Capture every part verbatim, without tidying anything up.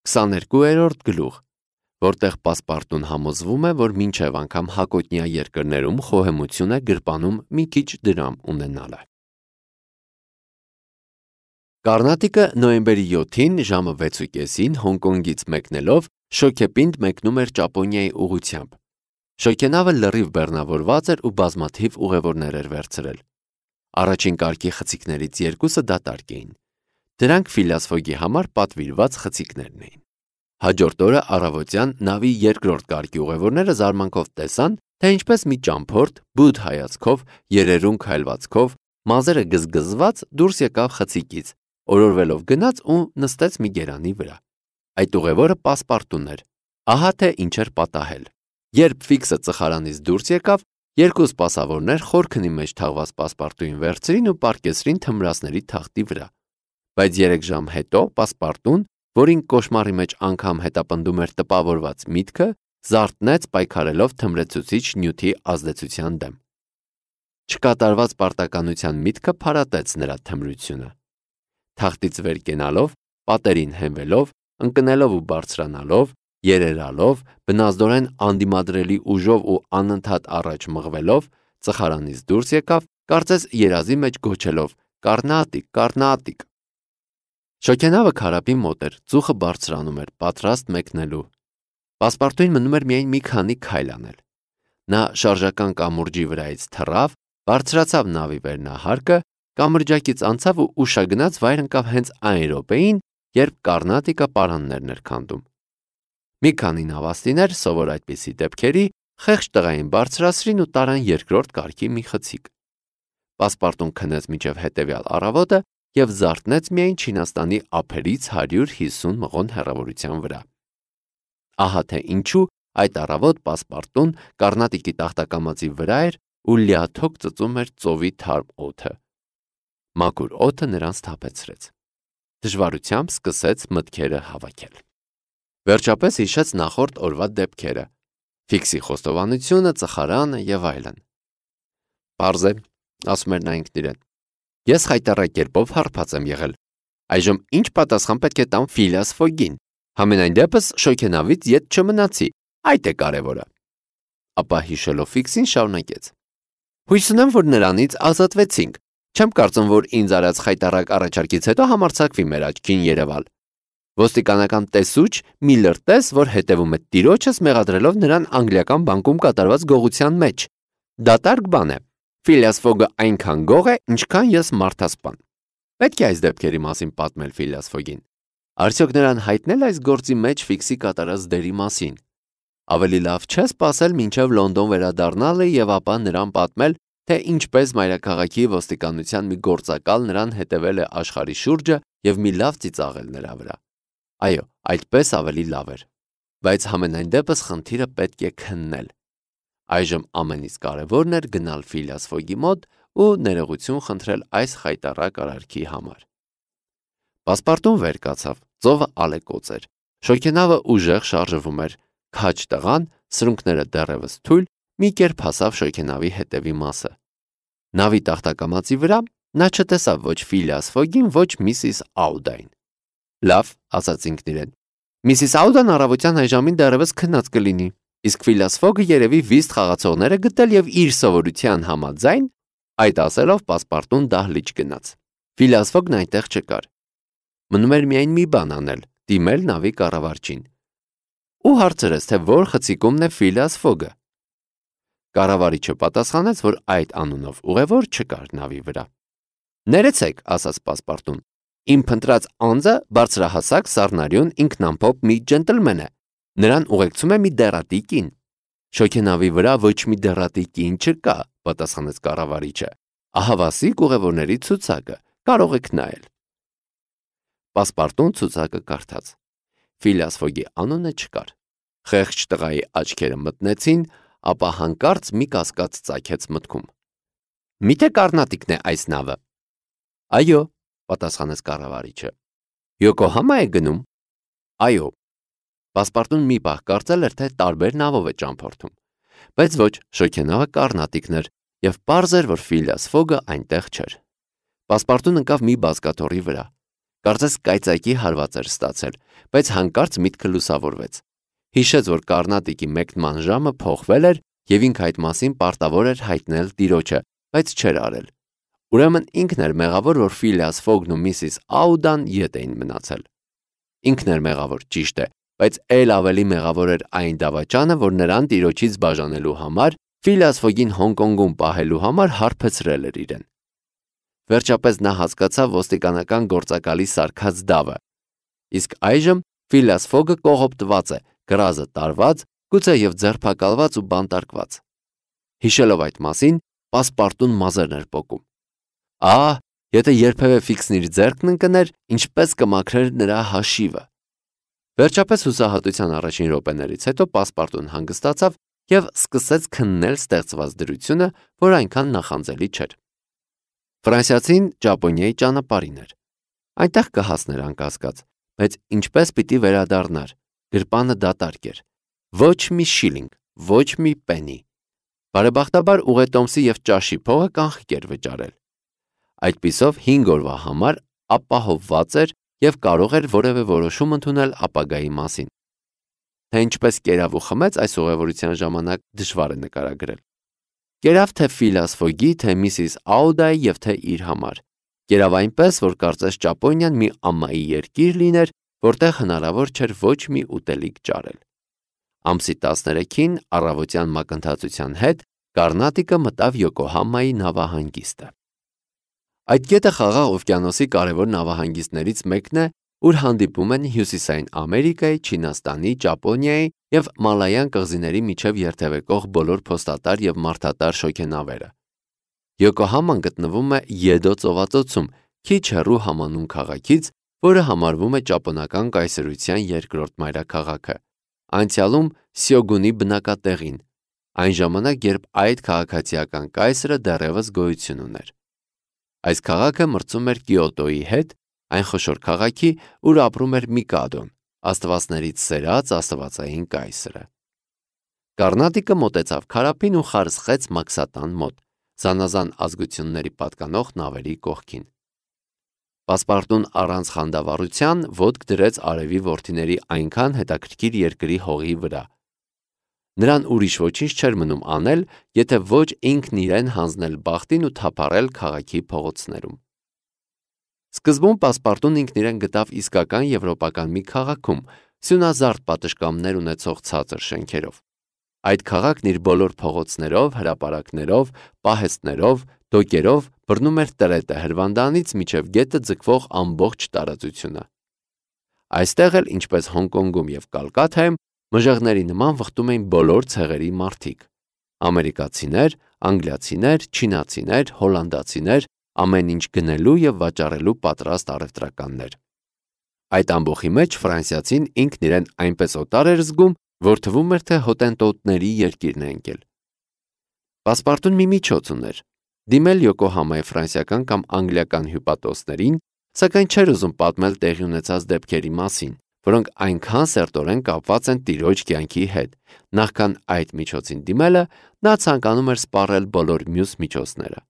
քսաներկուերորդ գլուխ, որտեղ պասպարտուն համոզվում է, որ մինչև անգամ հակոտնյա երկրներում խոհեմություն է գրպանում մի քիչ դրամ ունենալը։ Կարնատիկը նոյեմբերի յոթին ժամը վեցի կեսին Հոնկոնգից մեկնելով շոգեպինդ մեկնում էր Ճապոնիայի ուղղությամբ։ Շոգենավը լրիվ բեռնավորված էր ու բազմաթիվ ուղևորներ էր վերցրել։ Առաջին կարգի խցիկներից երկուսը դատարկ էին։ Դրանք Ֆիլիաս Ֆոգի համար պատվիրված խցիկներն էին։ Հաջորդ օրը առավոտյան նավի երկրորդ կարգի ուղևորները զարմանքով տեսան, թե ինչպես մի ճամփորդ բութ հայացքով, երերուն քայլվածքով, մազերը գզգզված դուրս եկավ խցիկից, օրորվելով գնաց ու նստեց մի գերանի վրա։ Այդ ուղևորը պասպարտուն էր։ Ահա թե ինչ էր պատահել։ Երբ Ֆիքսը ծխարանից դուրս եկավ, երկու սպասավորներ խորքնի մեջ թաղված պասպարտուին վերցրին ու պառկեցրին թմրածների թախտի վրա։ Բայց երեք ժամ հետո պասպարտուն, որին կոշմարի մեջ անգամ հետապնդում էր տպավորված միտքը, զարթնեց պայքարելով թմրեցուցիչ նյութի ազդեցության դեմ։ Չկատարված պարտականության միտքը փարատեց նրա թմրությունը։ Թախտից վեր կենալով, պատերին հենվելով, ընկնելով ու բարձրանալով, երերալով, բնազդորեն անդիմադրելի ուժով ու անընդհատ առաջ մղվելով, ծխարանից դուրս եկավ, կարծես երազի մեջ գոչելով. «Կառնատիկ, կառնատիկ»։ Շոգենավը քարափի մոտ էր, ծուխը բարձրանում էր, պատրաստ մեկնելու։ Պասպարտուին մնում էր միայն մի քանի քայլ անել։ Նա շարժական կամուրջի վրայից թռավ, բարձրացավ նավի վերնահարկը, կամրջակից անցավ ու ուշագնաց վայր ընկավ հենց այն րոպեին, երբ Կառնատիկը պարաններն էր քանդում։ Մի քանի նավաստիներ, սովոր այդպիսի դեպքերի, խեղճ տղային բարձրացրին ու տարան երկրորդ կարգի մի խցիկ։ Պասպարտուն քնեց մինչև հետևյալ առավոտը և զարթնեց միայն Չինաստանի ափերից հարյուր հիսուն մղոն հեռավորության վրա։ Ահա թե ինչու այդ առավոտ պասպարտուն Կառնատիկի տախտակամածի վրա էր ու լիաթոք ծծում էր ծովի թարմ օդը։ Մաքուր օդը նրան սթափեցրեց։ Դժվարությամբ սկսեց մտքերը հավաքել։ Վերջապես հիշեց նախորդ օրվա դեպքերը, Ֆիքսի խոստովանությունը, ծխարանը եւ այլն։ Պարզ է, ասում էր նա ինքն իրեն, ես խայտառակ կերպով հարբած եմ եղել։ Այժմ ինչ պատասխան պետք է տամ Ֆիլիաս Ֆոգին։ Համենայն դեպս շոգենավից ետ չմնացի, այդ է կարևորը։ Ապա հիշելով Ֆիքսին շարունակեց. Հույս ունեմ, որ նրանից ազատվեցինք։ Չեմ կարծում, որ ինձ արած խայտառակ առաջարկից հետո համարձակվի մեր աչքին երևալ։ Ոստիկանական տեսուչ մի լրտես, որ հետևում է տիրոջս, մեղադրելով նրան անգլիական բանկում կատարված գողության մեջ։ Դատարկ բան է։ Ֆիլիաս Ֆոգը այնքան գող է, ինչքան ես մարդասպան։ Պետք է այս դեպքերի մասին պատմել Ֆիլիաս Ֆոգին։ Արդյոք նրան հայտնել այս գործի մեջ Ֆիքսի կատարած դերի մասին։ Ավելի լավ չէ սպասել մինչև Լոնդոն վերադառնալը եւ ապա նրան պատմել, թե ինչպես մայրաքաղաքի ոստիկանության մի գործակալ նրան հետևել է աշխարհի շուրջը եւ մի լավ ծիծաղել նրա վրա։ Այո, այդպես ավելի լավ էր։ Բայց համենայն դեպս խնդիրը պետք է քննել։ Այժմ ամենից կարևորն էր գնալ Ֆիլիաս Ֆոգի մոտ ու ներողություն խնդրել այս խայտառակ արարքի համար։ Պասպարտուն վեր կացավ, ծովը ալեկոծ էր։ Շոգենավը ուժեղ շարժվում էր, քաջ տղան, սրունքները դեռևս թույլ, մի կերպ հասավ շոգենավի հետևի մասը։ Նավի տախտակամածի վրա նա չտեսավ ոչ Ֆիլիաս Ֆոգին, ոչ Միսիս Աուդային։ Լավ, ասաց ինքն իրեն։ Միսիս Աուդան առավոտյան այժմին դեռևս քնած կլինի, իսկ Ֆիլիաս Ֆոգը երևի վիստ խաղացողները գտել եւ իր սովորության համաձայն, այդ ասելով պասպարտուն դահլիճ գնաց։ Ֆիլիաս Ֆոգն այնտեղ չկար։ Մնում էր միայն մի բան անել՝ դիմել նավի կառավարչին։ Ու հարցրեց, թե որ խցիկումն է Ֆիլիաս Ֆոգը։ Կառավարիչը պատասխանեց, որ այդ անունով ուղևոր չկար նավի վրա։ Ներեցեք, ասաց պասպարտուն, իմ փնտրած անձը բարձրահասակ սառնարյուն ինքնամփոփ մի ջենտլմեն է։ Նրան ուղեկցում է մի դեռատի կին։ Շոգենավի վրա ոչ մի դեռատի կին չկա, պատասխանեց կառավարիչը։ Ահավասիկ ուղևորների ցուցակը, կարող եք նայել։ Պասպարտուն ցուցակը կարդաց։ Ֆիլիաս Ֆոգի անունը չկար։ Խեղճ տղայի աչքերը մտնեցին, ապա հանկարծ մի կասկած ծագեց մտքում։ Միթե Կառնատիկն է այս նավը։ Այո, պատասխանեց կառավարիչը։ Յոկոհամա է գնում։ Այո։ Պասպարտուն մի պահ կարծել էր, թե տարբեր նավով է ճամփորդում, բայց ոչ, շոգենավը Կառնատիկն էր, եւ պարզ էր, որ Ֆիլիաս Ֆոգը այնտեղ չէր։ Պասպարտուն ընկավ մի բազկաթոռի վրա։ Կարծես կայծակի հարված էր ստացել, բայց հանկարծ միտքը լուսավորվեց։ Հիշեց, որ Կարնատիկի մեկնման ժամը փոխվել էր եւ ինքը այդ մասին պարտավոր էր հայտնել տիրոջը, բայց չէր արել։ Ուրեմն ինքն էր մեղավոր, որ Ֆիլիաս Ֆոգն ու միսիս Աուդան ետ էին մնացել։ Ինքն էր մեղավոր, ճիշտ է, բայց այլ ավելի մեղավոր էր այն դավաճանը, որ նրան տիրոջից բաժանելու համար, Ֆիլիաս Ֆոգին Հոնկոնգում պահելու համար հարբեցրել էր իրեն։ Վերջապես նա հասկացավ ոստիկանական գործակալի սարքած դավը։ Իսկ այժմ Ֆիլիաս Ֆոգը կողոպտված է, գրազը տարված, գուցե եւ ձերբակալված ու բանտարկված։ Հիշելով այդ մասին, Պասպարտուն մազերն էր պոկում։ Ահ, եթե երբևէ Ֆիքսն իր ձեռքն ընկներ, ինչպես կմաքրեր նրա հաշիվը։ Վերջապես հուսահատության առաջին րոպեներից հետո Պասպարտուն հանգստացավ եւ սկսեց քննել ստեղծված դրությունը, որ այնքան նախանձելի չէր։ Ֆրանսիացին Ճապոնիայի ճանապարհին էր։ Այնտեղ կհասներ անկասկած, բայց ինչպես պիտի վերադառնար։ Գրպանը դատարկ էր։ Ոչ մի շիլինգ, ոչ մի պենի։ Բարեբախտաբար ուղետոմսի եւ ճաշի փողը կանխիկ էր վճարել։ Այդպիսով հինգ օրվա համար ապահովված էր եւ կարող էր որևէ որոշում ընդունել ապագայի մասին։ Թե ինչպես կերավ ու խմեց այս ուղևորության ժամանակ դժվար է նկարագրել։ Կերավ թե Ֆիլիաս Ֆոգի, թե միսիս Աուդայի եւ թե իր համար։ Կերավ այնպես, որ կարծես Ճապոնիան մի ամայի երկիր լիներ, որտեղ հնարավոր չէր ոչ մի ուտելիք ճարել։ Ամսի տասներեքին առավոտյան մակընթացության հետ Կարնատիկը մտավ Յոկոհամայի նավահանգիստը։ Այդ գետը Խաղաղ օվկիանոսի կարևոր նավահանգիստներից մեկն է, ուր հանդիպում են Հյուսիսային Ամերիկայի, Չինաստանի, Ճապոնիայի եւ Մալայան կղզիների միջև երթևեկող բոլոր փոստատար եւ մարդատար շոգենավերը։ Յոկոհաման գտնվում է Եդո ծովածոցում, քիչ հեռու համանուն քաղաքից, որը համարվում է ճապոնական կայսրության երկրորդ մայրաքաղաքը, անցյալում Սյոգունի բնակատեղին, այն ժամանակ, երբ այդ քաղաքացիական կայսրը դեռևս գոյություն ուներ։ Այս քաղաքը մրցում էր Կիոտոյի հետ, այն խոշոր քաղաքի, ուր ապրում էր Միկադոն, աստվածներից սերած աստվածային կայսրը։ Կարնատիկը մոտեցավ քարափին ու խարսխեց Մաքսատան մոտ, զանազան ազգությունների պատկանող նավերի կողքին։ Պասպարտուն առանց խանդավառության ոտք դրեց արևի որդիների այնքան հետաքրքիր երկրի հողի վրա։ Նրան ուրիշ ոչինչ չէր մնում անել, եթե ոչ ինքն իրեն հանձնել բախտին ու թափառել քաղաքի փողոցներում։ Սկզբում Պասպարտուն ինքն իրեն գտավ իսկական եվրոպական մի քաղաքում, սյունազարդ պատշգամբներ ունեցող ցածր շենքերով։ Այդ քաղաքն իր բոլոր փողոցներով, հրապարակներով, պահեստներով, դոկերով բռնում էր տրետը Հրվանդանից մինչև գետը ձգվող ամբողջ տարածությունը։ Այստեղ էլ, ինչպես Հոնկոնգում եւ Կալկաթայում, մժեղների նման վխտում էին բոլոր ցեղերի մարդիկ։ Ամերիկացիներ, անգլիացիներ, չինացիներ, հոլանդացիներ, ամեն ինչ գնելու եւ վաճառելու պատրաստ առևտրականներ։ Այդ ամբողջի մեջ ֆրանսիացին ինքն իրեն այնպես օտար էր զգում, որ թվում էր, թե հոտենտոտների երկիրն է ընկել։ Պասպարտուն մի միջոց ուներ՝ դիմել Յոկոհամայի ֆրանսիական կամ անգլիական հյուպատոսներին, սակայն չէր ուզում պատմել տեղի ունեցած դեպքերի մասին, որոնք այնքան սերտորեն կապված են տիրոջ կյանքի հետ։ Նախքան այդ միջոցին դիմելը, նա ցանկանում էր սպառել բոլոր մյուս միջոցները։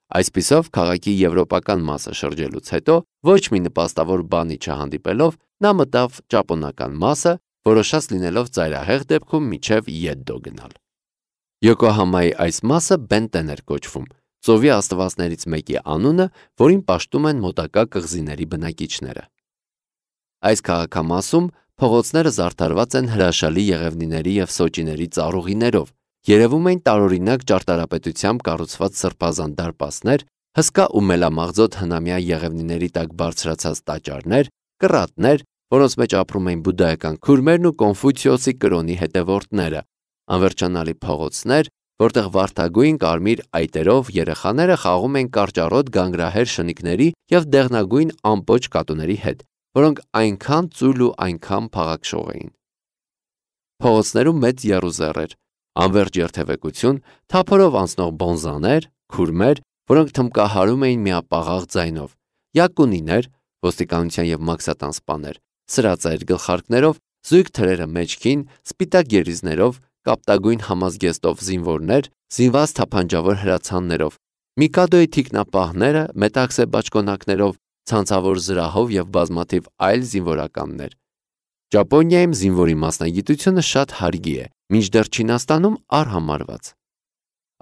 Այսպիսով, քաղաքի եվրոպական մասը շրջելուց հետո, ոչ մի նպաստավոր բանի չհանդիպելով, նա մտավ ճապոնական մասը, որոշած լինելով ծայրահեղ դեպքում միջև Եդդո գնալ։ Յոկոհամայի այս մասը Բենտեն էր կոչվում, ծովի աստվածներից մեկի անունը, որին պաշտում են մոտակա կղզիների բնակիչները։ Այս քաղաքամասում փողոցները զարդարված են հրաշալի եղևնիների եւ սոճիների ծառուղիներով, երևում էին տարօրինակ ճարտարապետությամբ կառուցված սրբազան դարպասներ, հսկա ու մելամաղձոտ հնամյա եղևնիների տակ բարձրացած տաճարներ, կռատներ, որոնց մեջ ապրում էին բուդդայական քուրմերն ու Կոնֆուցիոսի կրոնի հետևորդները, անվերջանալի փողոցներ, որտեղ վարդագույն կարմիր այտերով երեխաները խաղում էին կարճառոտ գանգրահեր շնիկների եւ դեղնագույն ամպոչ կատուների հետ, որոնք այնքան ծույլ ու այնքան փաղաքշող էին։ Փողոցներում մեծ եռուզեռ էր, անվերջ երթևեկություն, թափորով անցնող բոնզաներ, քուրմեր, որոնք թմկահարում էին միապաղաղ ձայնով, յակունիներ, ոստիկանության եւ մաքսատան սպաներ, սրածայր գլխարկներով, զույգ թրերը մեջքին, սպիտակ երիզներով, կապտագույն համազգեստով զինվորներ, զինված թափանջավոր հրացաններով, Միկադոյի թիկնապահները մետաքսե բաճկոնակներով, ցանցավոր զրահով եւ բազմաթիվ այլ զինվորականներ։ Ճապոնիայում զինվորի մասնագիտությունը շատ հարգի է, մինչդեռ Չինաստանում արհամարված։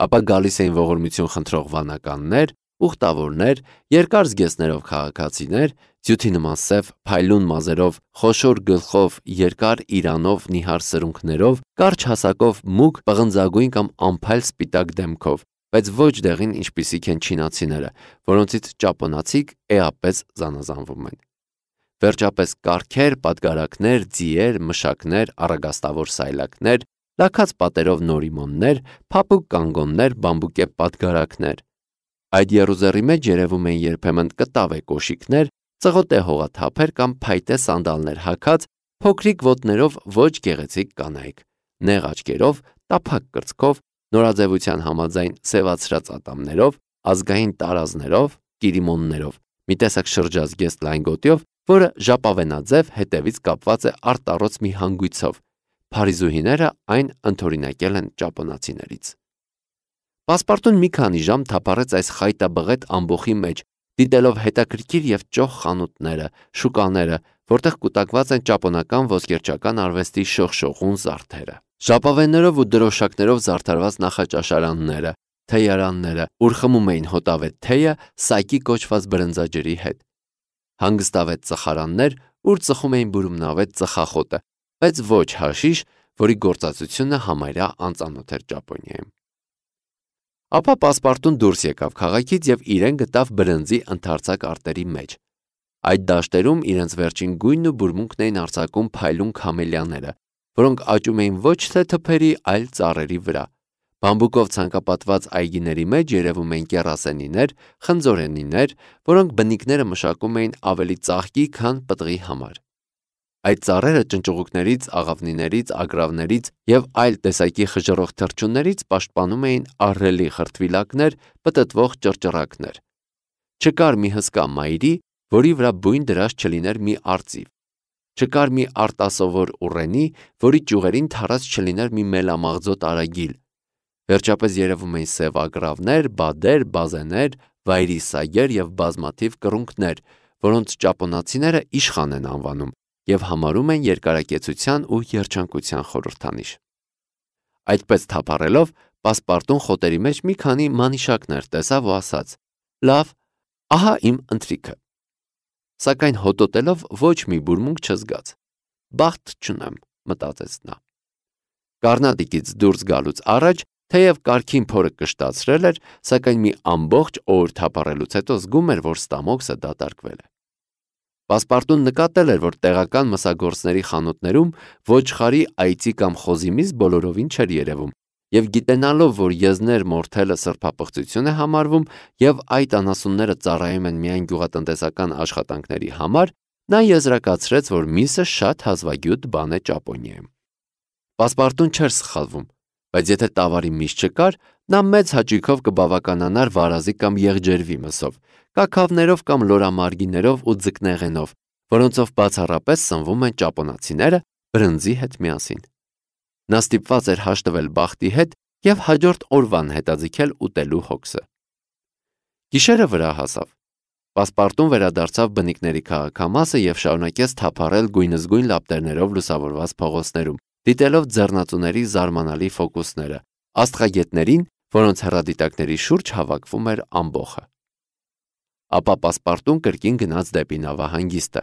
Ապա գալիս էին ողորմություն խնդրող վանականներ, ուխտավորներ, երկար զգեստներով քաղաքացիներ, ձյութի նման սև փայլուն մազերով, խոշոր գլխով, երկար իրանով, նիհար սրունքներով, կարճ հասակով, մուգ, պղնձագույն կամ անփայլ սպիտակ դեմքով, բայց ոչ դեղին ինչպիսիք են չինացիները, որոնցից ճապոնացիք էապես զանազանվում են։ Վերջապես կառքեր, պատգարակներ, ձիեր, մշակներ, առագաստավոր սայլակներ, լաքած պատերով նորիմոններ, փափուկ կանգոններ, բամբուկե պատգարակներ։ Այդ եռուզեռի մեջ երևում են երբեմն կտավե կոշիկներ, ծղոտե հողաթափեր կամ փայտե սանդալներ հագած, փոքրիկ ոտներով ոչ գեղեցիկ կանայք, նեղ աչքերով, տափակ կրծքով, նորաձևության համաձայն սևացրած ատամներով, ազգային տարազներով, կիրիմոններով, մի տեսակ շրջազգեստ լայն գոտիով, որը ժապավենաձև հետևից կապված է արտառոց մի հանգույցով։ Փարիզուհիները այն ընդօրինակել են ճապոնացիներից։ Պասպարտուն մի քանի ժամ թափառեց այս խայտաբղետ ամբոխի մեջ, դիտելով հետաքրքիր եւ ճոխ խանութները, շուկաները, որտեղ կուտակված են ճապոնական ոսկերչական արվեստի շողշողուն զարդերը։ Ժապավեններով ու դրոշակներով զարդարված նախաճաշարանները, թեյարանները, ուր խմում էին հոտավետ թեյը սայկի կոչված բրնձաջրի հետ։ Հանգստավետ ծխարաններ, ուր ծխում էին բուրումնավետ ծխախոտը, բայց ոչ հաշիշ, որի գործածությունը համարյա անծանոթ էր Ճապոնիայում։ Ապա Պասպարտուն դուրս եկավ քաղաքից եւ իրեն գտավ բրնձի ընդարձակ արտերի մեջ։ Այդ դաշտերում իրենց վերջին գույնն ու բուրմունքն էին արձակում փայլուն քամելիաները, որոնք աճում էին ոչ թե թփերի, այլ ծառերի վրա։ Բամբուկով ցանկապատված այգիների մեջ երևում էին կեռասենիներ, խնձորենիներ, որոնք բնիկները մշակում էին ավելի ծաղկի, քան պտղի համար։ Այդ ծառերը ճնճուղուկներից, աղավնիներից, ագրավներից եւ այլ տեսակի խժռող թռչուններից պաշտպանում էին ահռելի խրտվիլակներ, պտտվող ճռճռակներ։ Չկար մի հսկա մայրի, որի վրա բույն դրած չլիներ մի արծիվ։ Չկար մի արտասովոր ուռենի, որի ճյուղերին թարած չլիներ մի մելամաղձոտ արագիլ։ Վերջապես երևում էին սև ագրավներ, բադեր, բազեներ, վայրի սագեր եւ բազմաթիվ կռունկներ, որոնց ճապոնացիները իշխան են անվանում եւ համարում են երկարակեցության ու երջանկության խորհրդանիշ։ Այդպես թափառելով, Պասպարտուն խոտերի մեջ մի քանի մանիշակներ տեսավ ու ասաց. «Լավ, ահա իմ ընթրիքը»։ Սակայն հոտոտելով ոչ մի բուրմունք չզգաց։ «Բախտ չունեմ», մտածեց նա։ Կառնատիկից դուրս գալուց առաջ, թեև կարգին փորը կշտացրել էր, սակայն մի ամբողջ օր թափառելուց հետո զգում էր, որ ստամոքսը դատարկվել է։ Պասպարտուն նկատել էր, որ տեղական մսագործների խանութներում ոչխարի, այծի կամ խոզի միս բոլորովին չէր երևում, եւ գիտենալով, որ եզներ մորթելը սրբապղծություն է համարվում եւ այդ անասունները ծառայում են միայն գյուղատնտեսական աշխատանքների համար, նա եզրակացրեց, որ միսը շատ հազվագյուտ բան է Ճապոնիայում։ Պասպարտուն չէր սխալվում, բայց եթե տավարի միս չկար, նա մեծ հաճույքով կբավականանար վարազի կամ եղջերվի մսով, կաքավներով կամ լորամարգիներով ու ձկնեղենով, որոնցով բացառապես սնվում են ճապոնացիները բրնձի հետ միասին։ Նա ստիպված էր հաշտվել բախտի հետ եւ հաջորդ օրվան հետաձգել ուտելու հոգսը։ Գիշերը վրա հասավ։ Պասպարտուն վերադարձավ բնիկների քաղաքամասը եւ շարունակեց թափառել գույնզգույն լապտերներով լուսավորված փողոցներում, դիտելով ձեռնածուների զարմանալի ֆոկուսները, աստղագետներին, որոնց հեռադիտակների շուրջ հավաքվում էր ամբոխը։ Ապա Պասպարտուն կրկին գնաց դեպի նավահանգիստը։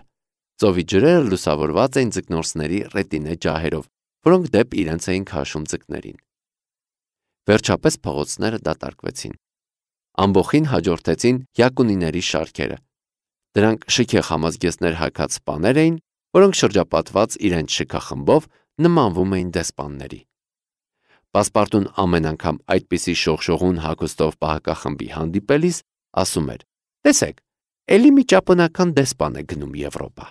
Ծովի ջրերը լուսավորված էին ձկնորսների ռետինե ջահերով, որոնք դեպ իրենց էին քաշում ձկներին։ Վերջապես փողոցները դատարկվեցին։ Ամբոխին հաջորդեցին յակունիների շարքերը։ Դրանք շքեղ համազգեստներ հագած սպաներ էին, որոնք շրջապատված իրենց շքախմբով նմանվում էին դեսպանների։ Պասպարտուն ամեն անգամ այդպիսի շողշողուն հագուստով պահակախմբի հանդիպելիս ասում էր. «Տեսեք, էլի մի ճապոնական դեսպան է գնում Եվրոպա»։